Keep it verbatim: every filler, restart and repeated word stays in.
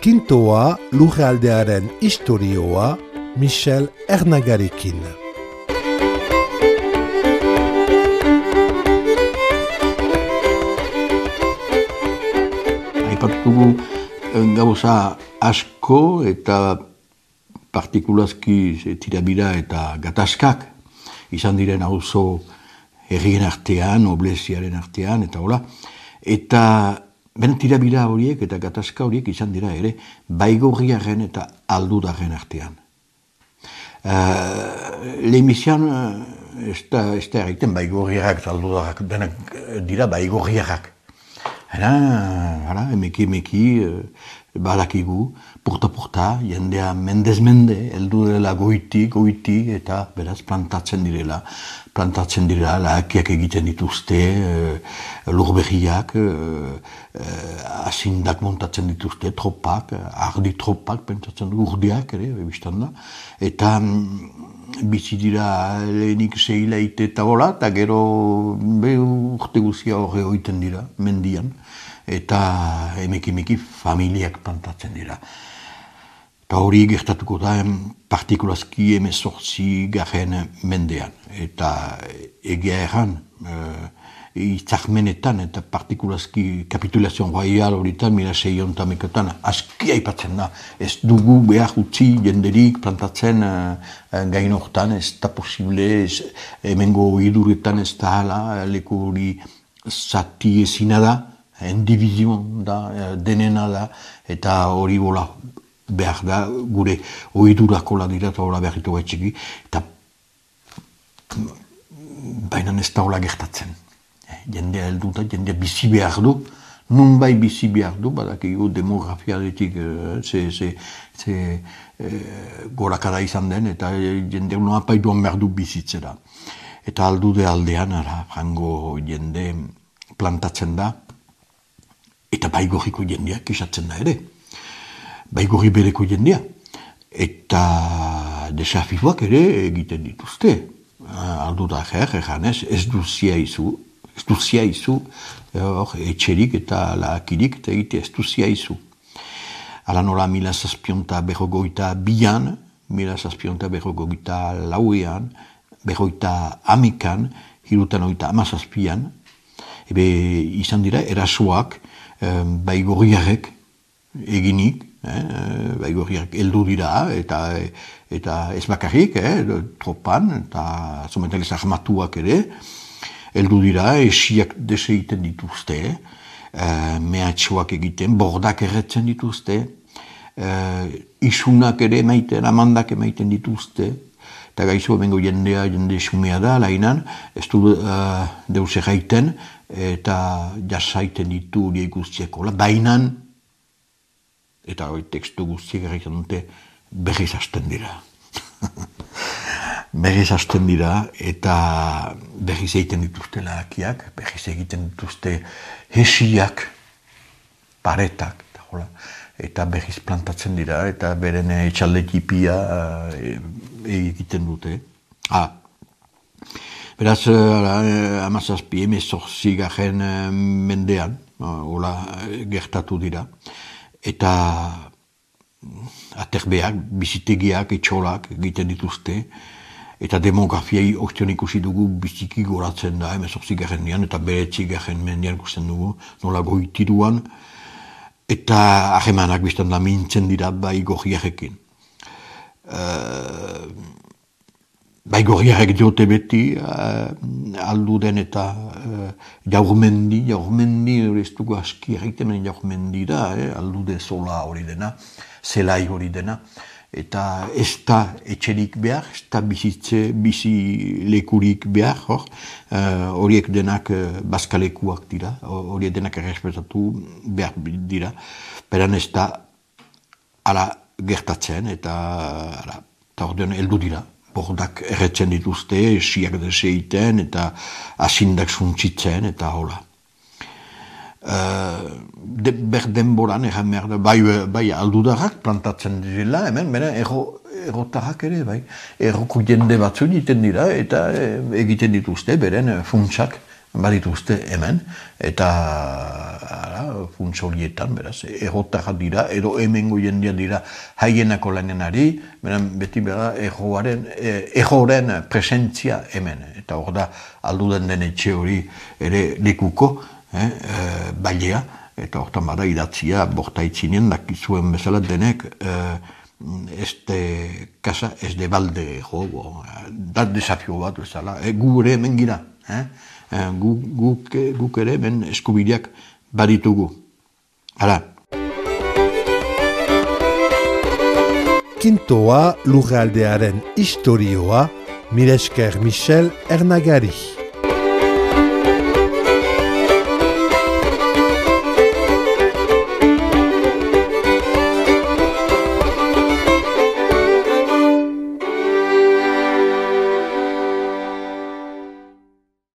Kintoa lurraldearen istorioa Michel Ernagarekin. Aipatugu gauza asko eta partikulazki tirabira eta gatazkak izan diren auzo herrien artean, obleziaren artean, eta hola. Eta ben tirabira horiek eta gatazka horiek izan dira ere baigorriaren eta aldudaren artean. Uh, Lehemizian uh, ez da erraiten baigorriarrak eta aldudarrak denak dira baigorriarrak. Eta, hala, emeki emeki, uh, badakigu, porta-porta, jendea mendez-mende, heldu dela goiti, goiti, eta beraz plantatzen direla. Plantatzen direla, lahakiak egiten dituzte, uh, lurberriak, uh, uh, asindak montatzen dituzte, tropak, ardi tropak, pentsatzen du, urdiak ere, biztan da. Eta um, bizi dira lehenik zehilaite eta hola, eta gero be urte guzia horre oiten dira, mendian. Eta emeki-emeki familiak plantatzen dira. Eta hori gertatuko da partikulazki hemezortzi garen mendean. Eta egia erran, uh, itzakmenetan eta partikulazki kapitulazion royal horitan, mila seion tamekotan, aski aipatzen da. Ez dugu behar utzi jenderik plantatzen uh, gain hortan, ez da posible, ez, hemengo iduretan ez da hala, leku hori zati ezina da, indivizion da, denena da, eta hori bola behar da, gure oidurakola dira eta hola behar ditu gaitxiki, eta baina ez da hola gertatzen. Jendea heldu da, jendea bizi behar du, nun bai bizi behar du, badakigu demografiaretik ze, ze, ze e, gorakada izan den, eta jendea noa paiduan behar du bizitzera. Eta aldude aldean, ara, frango jende plantatzen da, eta baigorriko jendea kisatzen da ere. Baigorri bereko jendea. Eta desafiuak ere egiten dituzte. Aldu da jer, eganez, ez duzia izu, ez duzia izu, etxerik eta lahakirik, eta egite ez duzia izu. Ala nola mila zazpionta berrogoita bian, mila zazpionta berrogoita lauean, berroita amekan, hirutan oita amazazpian, ebe izan dira erasoak, baigorriarek eginik, eh, baigorriarek heldu dira, eta, eta ez bakarrik, eh, tropan, eta zometalez ahmatuak ere, heldu dira, esiak deseiten dituzte, eh, mehatxoak egiten, bordak erretzen dituzte, eh, isunak ere emaiten, amandak emaiten dituzte, eta gaizu emengo jendea, jende sumea da, lainan, ez du uh, deus erraiten, eta jasaiten ditu horiek guztieko. Bainan, eta hori tekstu guztiek erraiten dute, berriz hasten dira. Berriz hasten dira, eta berriz egiten dituzte lahakiak, berriz egiten dituzte hesiak, paretak, eta hola. Eta berriz plantatzen dira, eta beren etxalde tipia uh, egiten dute. Ah. Beraz, uh, amazazpi, emezortzi garen uh, mendean, uh, hola, gertatu dira. Eta aterbeak, bizitegiak, etxolak egiten dituzte. Eta demografiai ostion ikusi dugu biziki goratzen da, emezortzi garen dian, eta beretzi garen mendean ikusten dugu, nola goitiruan. Eta ahemanak biztan da mintzen dira baigorriarekin. Uh, baigorriarek diote beti, uh, alduden eta uh, jaurmendi, jaurmendi hori ez dugu aski erreiten jaurmendi da, eh, aldude zola hori dena, zelai hori dena. Eta ez da etxerik behar, ez da bizitze, bizi lekurik behar, hor. Uh, horiek denak uh, bazkalekuak dira, horiek denak errespetatu behar dira. Beran ez da ala gertatzen, eta ala, eta ordean heldu dira. Bordak erretzen dituzte, esiak deseiten, eta asindak suntzitzen, eta hola. Uh, de, ber denboran, egan behar da, bai, bai aldudarrak plantatzen direla, hemen, bera, erro, errotarrak ere, bai, erroko jende batzu egiten dira, eta egiten dituzte, beren funtsak badituzte hemen, eta ara, funtz horietan, beraz, errotarra dira, edo hemengo jendea dira haienako lanenari, beran beti bera erroaren, erroren presentzia hemen, eta hor da alduden den etxe hori ere lekuko, eh, eh, bailea, eta hortan bada idatzia bortaitzinen dakizuen bezala denek, eh, este casa ez de balde jo, da desafio bat bezala, eh, gu ere hemen gira, eh? Eh, guk, guk, guk ere hemen eskubideak baditugu. Hala. Kintoa lurraldearen historioa, mila esker Michel Ernagari.